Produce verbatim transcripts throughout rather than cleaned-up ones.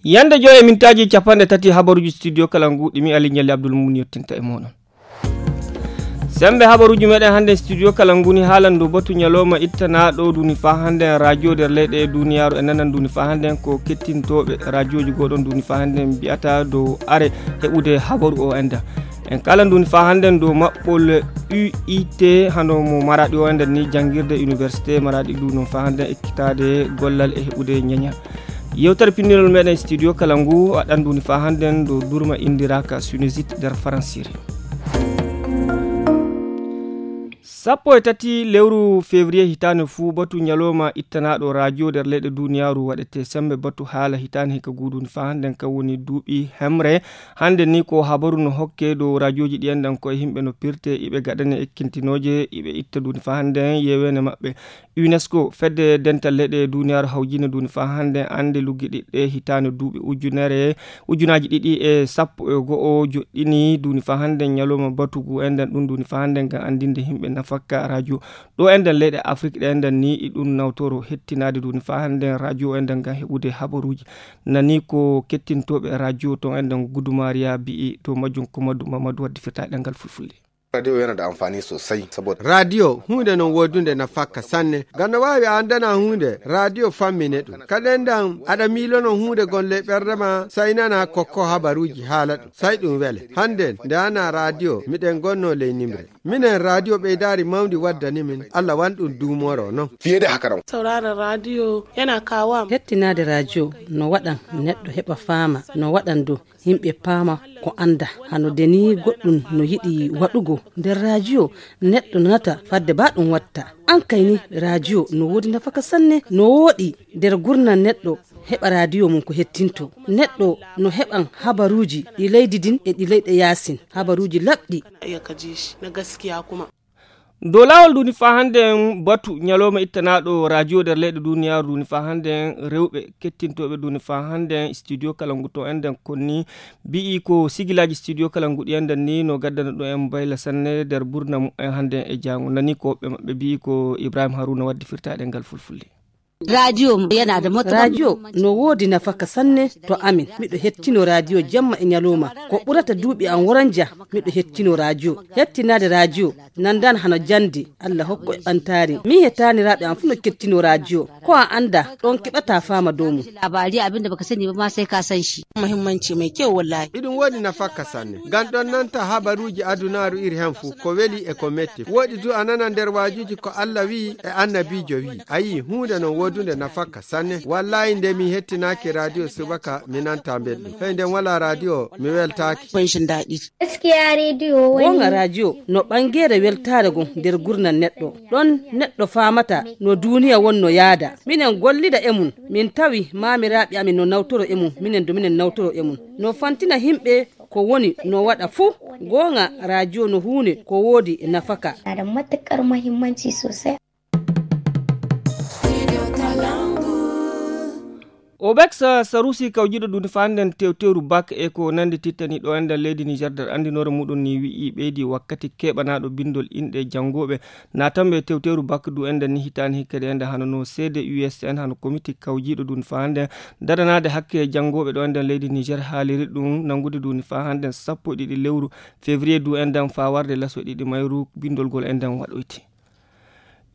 Yande joy e mintaaji capanɗe tati habaruuji studio kala ngu ɗi mi Ali Ɲalli Abdul Mumin yottinta e mooɗon. Sembe habaruuji meɗen hannde studio kala ngu ni haalan dow batu ɲalooma ittanaaɗo duni faa hannde radio nder leyɗe duniyaaru e nanan duni faa hannde ko kettintooɓe radioji goɗon duni faa hannde mbiyata dow are heɓude habaru o enda. En kala ndu ni faa hannden dow maɓɓol U I T hano mo Maraɗi o, enden ni janngirde université Maraɗi ndu noon faa hannden ekkitaade gollal e heɓude ñeñal. Yewtere pinndinol meɗen studio kala ngu waɗan ndu ni faa hannden dow durma inndiraaka sinusite nder faransiri. Sappo e tati lewru février hitaande fuu batu ñalooma ittanaaɗo radio nder leyɗe duniyaaru waɗete sembe batu haala hitaande hikka guudundi faa hannden kan woni duuɓi hemre. Hannde ni ko habaru no hokke dow radioji ɗi enɗan koye yimɓe no pirte iɓe gaɗane ekkintinooje iɓe itta duuni faa hannde yeweene maɓɓe. UNESCO fedde dental leyɗe duniyaaru hawjine duuni faa hannde annde luggiɗiɗɗe hitaande duuɓi ujunere ujunaaji ɗiɗi e sappo e go'o joɗɗini duuni faa hannde ñalawma batugu enɗan ɗum duuni faa hannde ngam anndinde yimɓe nafakka radio. Ɗo enɗan leyɗe Afrik ɗe enɗan ni e ɗum nawtoro hettinaade duuni faa hannde radio enɗan ngam heɓude habaruuji. Nani ko kettintooɓe radio ton enɗan Gudumariya bi'i dow majjum ko Madu Mamadu waddi firtaade ɗemngal fulfulde. Radio yana da amfani sosai saboda radio hunde non wodunde nafakka sanne. Ngam no waawi a anndana hunde radio fammine ɗum. Kadi enɗan aɗa miilono hunde gonle ɓernde ma sai nana kokko habaruuji haala ɗum. Sai ɗum wele. Hannde nde ana radio miɗen gonno ley nimre. Minen radio ɓeydaari mawndi waddani min. Allah wan ɗum duumoro non. Fiye da haka nan. Sauraron radio yana kawo. Hettinaade radio no waɗan neɗɗo heɓa faama no waɗan dow yimɓe paama ko annda hano de ni goɗɗum no yiɗi waɗugo nder radio neɗɗo nanata fadde ba ɗum watta. An kay ni radio no woodi nafaka sanne no wooɗi nder gurnan neɗɗo heɓa radio mum ko hettinto neɗɗo no heɓan habaruuji ɗi leydi din e ɗi leyɗe yaasin habaruuji laɓɗi. Dow laawol duuni faa hannde batu ñalawma ittanaaɗo radio nder leyɗe duniyaaru duuni faa hannde rewɓe kettintooɓe duuni faa hannde studio kala ngu to enɗen konni bi'i ko sigilaaji studio kala ngu ɗi enɗen ni no gaddana ɗo en bayla sanne nder burna mumen hannde e jaango nani ko woɓɓe maɓɓe bi'i ko Ibrahim Haruna waddi firtaade ngal fulfulde. Radio yana da matuƙar radio no woodi nafaka sanne to amin miɗo hettino radio jamma e ñalawma ko ɓurata duuɓi an woranja miɗo hettino radio hettinaade radio nandan hano jande Allah hokko e ɓantaare min e taaniraaɓe an fuu no kettino radio ko a annda ɗon keɓata faama dow mum. Labari abin da baka sani ba ma sai ka san shi. Muhimmanci mai kyau wallahi. Iɗum woodi nafaka sanne ngam ɗon nanta habaruuji adunaaru iri hen fuu ko weli e ko metti woɗi du a nana nder waajuuji ko Allah wi'i e annabiijo wi'i a yi'i huunde non woodunde nafaka sanne wallahi nde mi hettinaaki radio subaka mi nanta mbelɗum hey nden wala radio mi weltaaki. Gaskiya radio wani goonga radio no ɓangeere weltaare gon nder gurnal neɗɗo ɗon neɗɗo faamata no duuniya wonno yaada minen gollida e mum min tawi maamiraaɓe amin no nawtoro e mum minen do minen nawtoro e mum no fantina yimɓe ko woni no waɗa fuu goonga radio no huunde ko woodi nafaka. Yana da matuƙar muhimmanci sosai. Obex sarusi kawjiɗo duni faa nden tewteru bak e ko nandi tittani ɗo enɗan leydi Niger nder anndinoore muɗum ni wi'i ɓeydi wakkati keɓanaaɗo bindol inɗe janngooɓe naatanɓe tewteru bak du enɗan ni hitaani hikkadi enɗan hano no seede U S N hano komiti kawjiɗo duni faa nden daranaade hakke janngooɓe ɗo enɗan leydi Niger haaliri ɗum nanngude duni faa hannde sappo e ɗiɗi lewru février du enɗan faa warde laso ɗiɗi mayru bindol gol enɗan waɗoyti.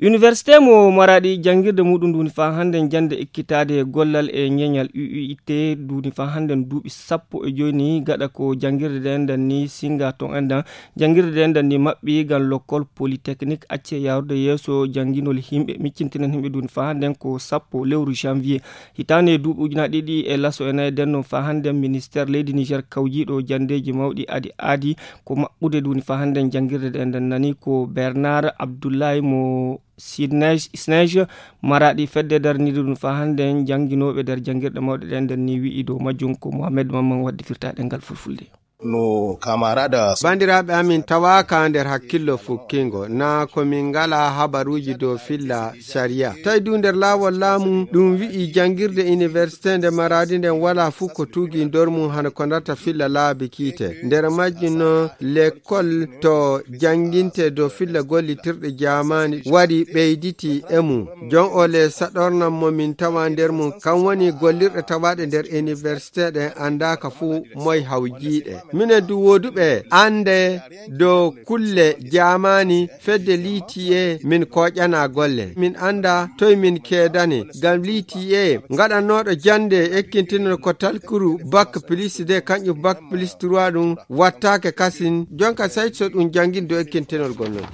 Université mo Maraɗi janngirde muɗum nduni faa hannde jannde ekkitaade gollal e ñeñal U I T nduni faa hannde duuɓi sappo e joy ni gaɗa ko janngirde nde enɗan ni singa ton enɗan janngirde nde enɗan ni maɓɓi ngam lokkol polytechnique acce yaarude yeeso jannginol yimɓe miccintinan yimɓe nduni faa hannde ko sappo lewru janvier. Hitaande duuɓi ujunaaji ɗiɗi e laso e nayi nden noon faa hannde ministeer leydi Niger kawjiiɗo janndeeji mawɗi adi aadi ko maɓɓude duuni faa hannde janngirde ɗe nden nani ko Bernard Abdoulaye mo Sinège Maraɗi fedde darnide ɗum faa hannde jannginooɓe nder janngirɗe mawɗe ɗe nden ni wi'i dow majjum ko Mohamed Mamman waddi firtaɗe ngal fulfulde. No kamarada. Bandiraaɓe amin tawaaka nder hakkillo fukkingo, na ko min ngala habaruuji dow filla sariya. Tawi du nder laawol laamu ɗum wi'i janngirde iniwersite nde Maraadi nden wala fuu ko tugi nder mum hano ko darta filla laabi kiite. Nder majjum no lekkol to jannginte dow filla gollitirɗe jaamaani wari ɓeyditi e mum. Jon ole saɗornan mo min tawa nder mum, kan woni gollirɗe tawaaɗe nder iniwersite ɗen anndaaka fuu moy hawjiiɗe. Minen du wooduɓe annde dow kulle jaamaani fedde litiye min koƴana golle. Min annda toy min keedani, ngam litiye ngaɗannooɗo jannde ekkintinol ko talkuru bak plus deux, kanƴum bak plus trois ɗum wattaake kasin. Jonka sey so ɗum janngin dow ekkintinol gonnol.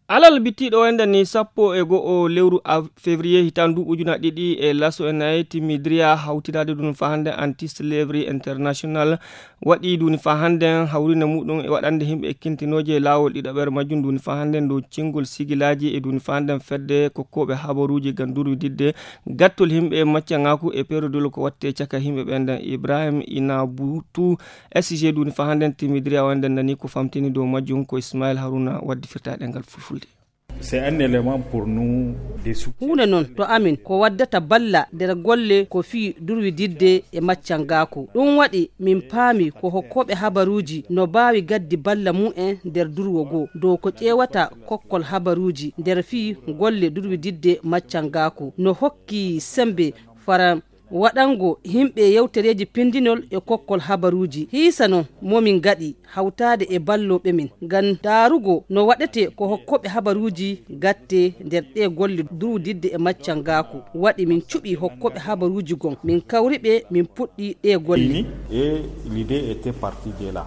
Alal bittiiɗo wayde ni sappo e go'o lewru av-, février hitaan duuɓi ujuna ɗiɗi e laso e nayi, timmidiriya hawtiraade ɗum fahande Anti Slavery International waɗi duni fahande hawrinde muɗum e waɗande yimɓe ekkintinooje e laawol ɗiɗaɓere majjum duni fahande dow cingol sigilaaji e duni fahande fedde kokkooɓe habaruuji ngam durwididde gattol yimɓe maccanŋaaku e perodol ko watte caka yimɓe ɓen. Nden Ibrahim Inabutu S G duni fahande timmidiriya wayde nani ko famtini dow majjum ko Ismail Haruna waddi firtaade ngal fulfulde. C'est un élément pour nous de soutien. Huunde noon to amin ko waddata balla nder golle ko fii durwididde e maccangaaku. Ɗum waɗi min paami ko hokkooɓe habaruuji no baawi gaddi balla mum en nder durwo goo dow ko ƴeewata kokkol habaruuji nder fii golle durwididde maccangaaku. No hokki sembe fara waɗango yimɓe yewtereeji pindinol e kokkol habaruuji. Hiisa noon momin ngaɗi hawtaade e ballooɓe min ngam ndaarugo no waɗetee ko hokkooɓe habaruuji gatte nder ɗee golle durwididde e maccangaaku. Waɗi min cuɓi hokkooɓe habaruuji gon, min kawri ɓe, min puɗɗi ɗee golle. Ini, et l'idée était partie de là.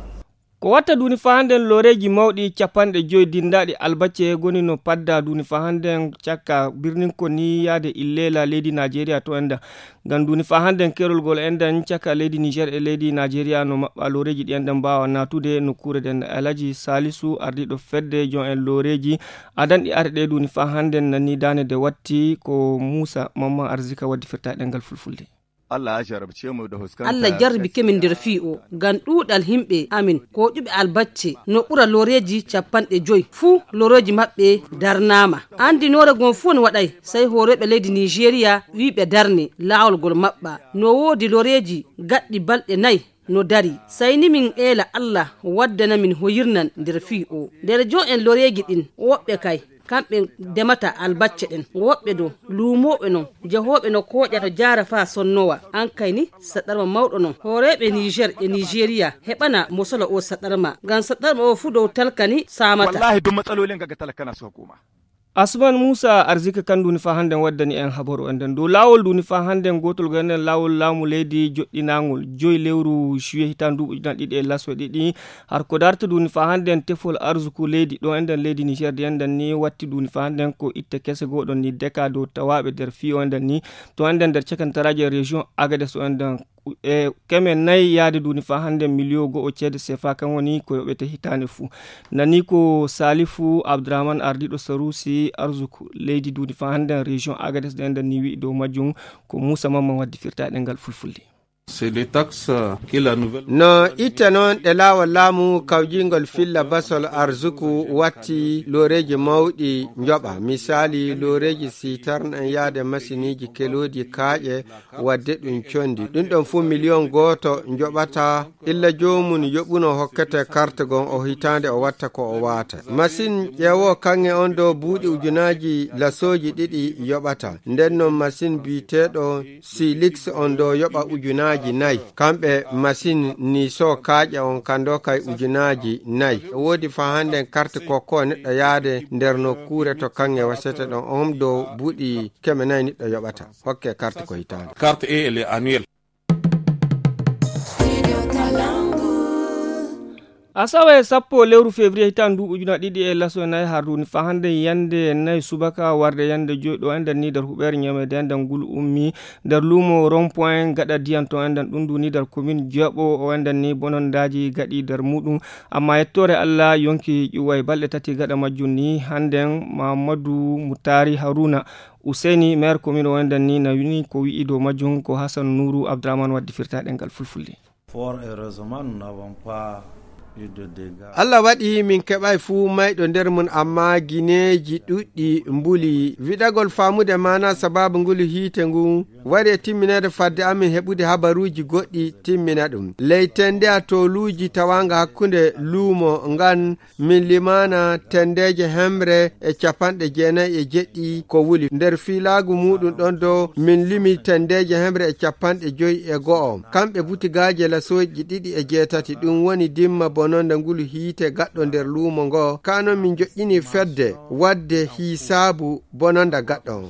Ko watta duni fahande looreeji mawɗi capanɗe joyi dinndaaɗi albacce goni no padda duni fahande cakka birnin ko ni yaade Illela leydi Najeriya to enda. Ngam duni fahande kerol gol enda cakka leydi Niger e leydi Najeriya no maɓɓa looreeji ɗi enda mbaawa naatude nokkuure ɗen. Alhaji Salisu ardiiɗo fedde jon en looreeji adanɗi arde duni fahande nani daane de watti ko Musa Mamman Arzika waddi firtaɗe ngal fulfulde. Allah ya jarabce mu da fuskantar Allah jarribi kemin nder fii o ngam ɗuuɗal yimɓe amin ko ƴuɓe albacce no ɓura looreeji capanɗe joyi fuu looreeji maɓɓe darnaama. Anndinoore gon fuu on waɗay sey hooreeɓe leydi Nigeria wiiɓe darne laawol gol maɓɓa. No woodi looreeji gaɗɗi balɗe nayi no dari. Sey ni min eela Allah waddana min hoyirnan nder fii o. Nder jo en looreeji ɗin woɓɓe kay kamɓe ndemata albacce ɗen. Woɓɓe dow luumooɓe non, jahooɓe no kooƴa no jaara faa sonnowa. An kay ni, saɗarma mawɗo non. Hooreeɓe Niger e Nigeria heɓana mo solo o saɗarma. Ngam saɗarma o fuu dow talka ni saamata. Wallahi, duk matsalolin ga talaka na suka koma. Asman Musa Arzika kan duni fa hande waddani en habaru en den. Dow laawol duni fa hande gotol go enen laawol laamu leydi joɗɗinangol joyi lewru juillet hitan duuɓi ujunere ɗiɗi e laso ɗiɗi. Har ko darta duni fa hande en tefol arzuku leydi ɗo enden leydi Niger di enden ni watti duni fa hande en ko itte kese goɗon ni deka dow tawaɓe nder fiyo enden ni to enden nder cakantaraji e région Agadez o enden e keme nayi yaade duni fa hande miliyo go'o ceede sefa kan woni ko yoɓete hitande fu. Nani ko Salifu Abdourahmane ardiɗo Sarusi arzuku leydi duni fa hande en région Agadez ɗo enden ni wi'i dow majjum ko Musa Mamman waddi firtaɗe ngal fulfulde. C'est des taxes que la nouvelle No itte noon ɗe laawol laamu kawjingol filla basol arzuku watti looreeji mawɗi njoɓa. Misaali looreeji sitarn en yaade masiniiji kelooji kaaƴe wadde ɗum condi. Ɗum ɗon fuu miliyon gooto njoɓata illa joomum yoɓuno hokkete karte gon o hitaande o watta ko o waata. Masin ƴeewo kaŋŋe on ɗo buuɗi ujunaaji lasooji ɗiɗi yoɓata. Nden non masin biyeteeɗo Silix on ɗo yoɓa ujunaaji nayi. Kamɓe masin ni so kaaƴe on kan ɗo kay ujunaaji nayi. E woodi fa hande en karte kokko neɗɗo yaade nder nokkuure to kaŋŋe wasete ɗon on ɗo buuɗi keme nayi neɗɗo yoɓata. Hokke karte ko hitaande. Carte et elle est annuelle. Asawe sappo lewru février hitan ndu ujuna ɗiɗi e laso e nayi har duni fa hande yande nayi subaka warde yande joyi ɗo enden ni nder huɓeere ñamede enden ngulu ummi nder luumo rond point gaɗa diyan to enden ɗum duni nder commune jeeɓo o enden ni bonondaji gaɗi nder muɗum. Amma yettore Allah yonki ƴuway balɗe tati gaɗa majjum ni handen Mamadou Moutari Harouna Ousseyni maire commune o enden ni na wini ko wi'i dow majjum ko Hassan Nourou Abdourahmane waddi firtaɗe ngal fulfulde. Fort heureusement, nous n'avons pas eu de dégâts. Allah waɗi min keɓay fuu mayɗo nder mum, amma gineeji ɗuɗɗi mbuli. Wiɗagol faamude maana sababu ngulu hiite ngu wari e timmineede fadde amin heɓude habaruuji goɗɗi timmina ɗum. Ley tenndeya tooluuji tawaanga hakkunde luumo ngan, min limaana tenndeeje hemre e capanɗe jeenayi e jeɗɗi ko wuli. Nder fiilaagu muuɗum ɗon dow, min limi tenndeeje hemre e capanɗe joyi e go'o. Kamɓe butigaaje lasooji ɗiɗi e jeetati, ɗum woni dimma bononda ngulu hiite gaɗɗo nder luumo ngo. Kaa non min joƴƴini fedde waɗde hiisaabu bononda gaɗɗo on.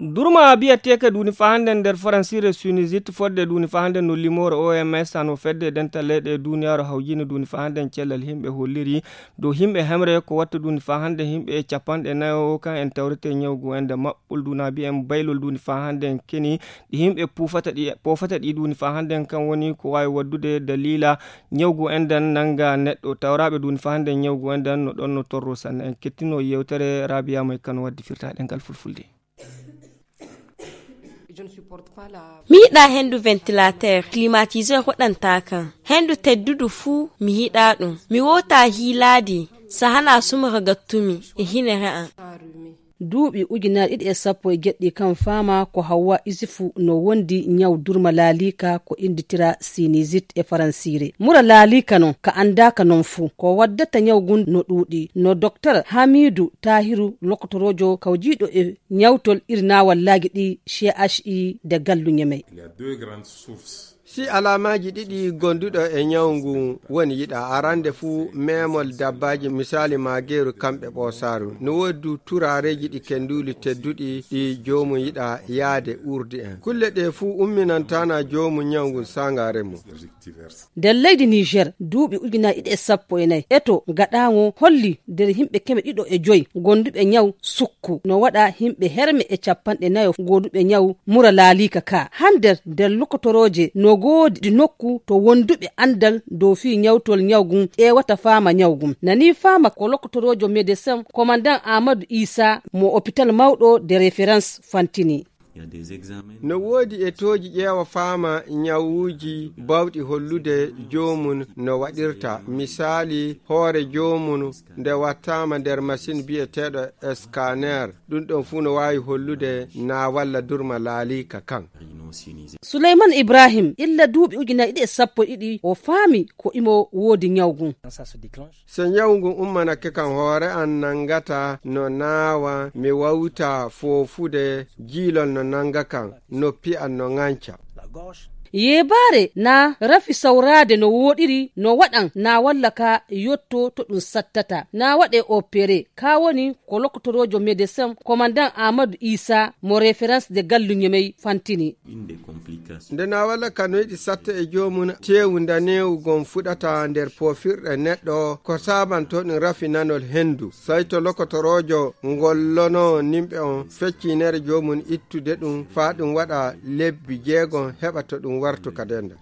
Durma biyateeka duuni faa hannden nder faransiire sinusite, fodde duuni faa hannden no limoore O M S, hano fedde dental leyɗe duuniyaaru hawjini duuni faa hannden cellal himɓe holliri dow himɓe hemre ko watta duuni faa hannden himɓe capanɗe nayo kan en tawrete ñawgu en nde maɓɓol duuna biyen baylol duuni faa hannden keni ɗi himɓe puufata ɗi, poofata ɗi duuni faa hannden kan woni ko waawi waddude daliila ñawgu en nden nannga neɗɗo. Tawraaɓe duuni faa hannden ñawgu en nden no ɗon no torro sanne. En kettino yewtere Rabiya May Kano waddi firtaaɗe ngal fulfulde. Mi yiɗaa henndu ventilateur, climatiseur waɗantaa kan. Henndu teddudu fuu, mi yiɗaa ɗum. Mi wootaa hiilaadi, so hanaa sumoro gattumi e hinere an. Duuɓi ujunaaji ɗiɗi e sappo e jeɗɗi kan faama ko Hawwa Isufu no wondi ñaw durma laaliika ko innditira sinusite e faransiire. Mura laaliika non, ka anndaaka non fuu. Ko waddata ñaw ngun no ɗuuɗi. No Doktor Hamiidu Taahiru, lokotoroojo kawjiiɗo e ñawtol iri naawallaaji ɗi C H I de Gallu Ñemey. Il y a deux grandes sources. Si alaamaaji ɗiɗi gonduɗo e ñaw ngu woni yiɗa arande fuu memol dabbaaji, misaali maageeru kamɓe ɓoosaaru. No woodi du turaareeji ɗi kenduli tedduɗi ɗi joomum yiɗa yaade urdi en. Kulle ɗe fuu umminantaana joomum ñaw ngu saangaare mum. Nder leydi Niger, duuɓi ujunaaji ɗiɗi e sappo e nayi, eto gaɗaaŋo holli nder yimɓe keme ɗiɗo e joy gonduɓe ñaw sukku, no waɗa yimɓe herme e capanɗe nayo gonduɓe ñaw mura laaliika ka. Hande nder lokotorooje no goodi nokku to wonduɓe andal dow fii ñawtol ñaw ngun ƴeewata faama ñaw ngun. Nani faama ko lokotoroojo médecin commandant Amadou Isa mo hôpital mawɗo de référence Fantini. No woodi etooji ƴeewa faama ñawuuji baawɗi hollude joomum no waɗirta. Misaali, hoore joomum nde wattaama nder masiin biyeteeɗo scanner, ɗum ɗon fuu no waawi hollude na walla durma laaliika kan. Suleyman Ibrahim, illa duuɓi ujunaaji ɗiɗi e sappo e ɗiɗi, o faami ko imo woodi ñaw ngun. So ñaw ngun ummanake kam, hoore an nangata no naawa, mi wawta foofude, jiilol no nanga kam, noppi an no ŋanca. Yeebaare na rafi sawraade no wooɗiri, no waɗan na walla ka yotto to ɗum sattata. Na waɗe opéré, ka woni ko lokotoroojo médecin commandant Amadou Isa mo référence de Gallu Ñemey Fantini. Nde na walla kanoyɗi satta e joomum, teewu ndaneewu gon fuɗata nder poofirɗe neɗɗo, ko saabanto ɗum rafinanol henndu. Say to lokotoroojo ngollono nimɓe on feccinere joomum ittude ɗum, faa ɗum waɗa lebbi jeegom, heɓa to ɗum wartu ka denda.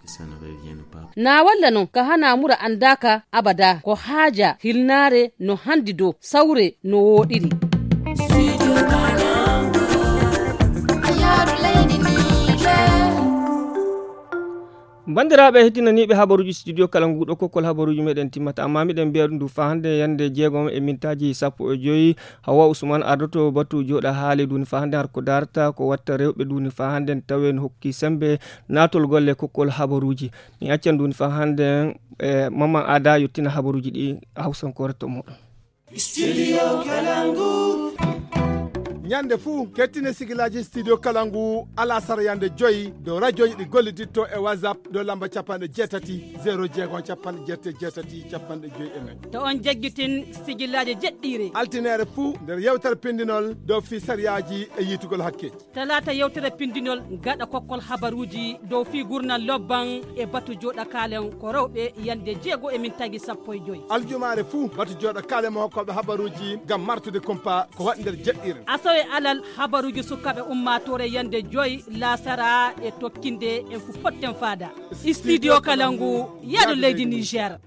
Na walla non ka hana mura andaaka abada, ko haaja hilnaare no handi dow sawre no wooɗiri. Banndiraaɓe heɗtinaniiɓe habaruuji studio kala nguuɗo kokkol habaruuji meɗen timmata, amma miɗen mbiya ɗum ndu faa hannde yannde jeegom e mintaaji sappo e joyi. Hawa Usman ardoto batu jooɗa haali duuni faa hannde har ko darta ko watta rewɓe duuni faa hannde tawen hokki sembe naatol golle kokkol habaruuji. Mi accan duuni faa hannde, eh, Mamman Ada yottina habaruuji ɗi hawsankoore to moɗon. Studio Kalangu. Ñande fuu, kettine sigilaaji Studio Kalangu, alasara yande joyi, dow rajooji ɗi golliditto e WhatsApp, dow lamba capanɗe jeetati, zéro jeegom, capanɗe jeetati, capanɗe joyi e nayi. To on jaggitin sigilaaji jeɗɗiire. Altineere fuu, nder yewtere pindinol, dow fii sariyaaji e yiitugol hakkeeji. Talaata yewtere pindinol gaɗa kokkol habaruuji dow fii gurnal lobban e batu jooɗa kaalen ko rewɓe yande jeego e mintaaji sappo e joyi. Aljumaare fuu batu jooɗa kaalen mo hokkooɓe habaruuji ngam martude kumpa ko waɗi nder jeɗɗiire. Asawe alal habaruuji sukaaɓe ummaatoore yande joyi laasara e tokkinde en fu potten faada. Studio Kalangu, yaadu leydi Niger.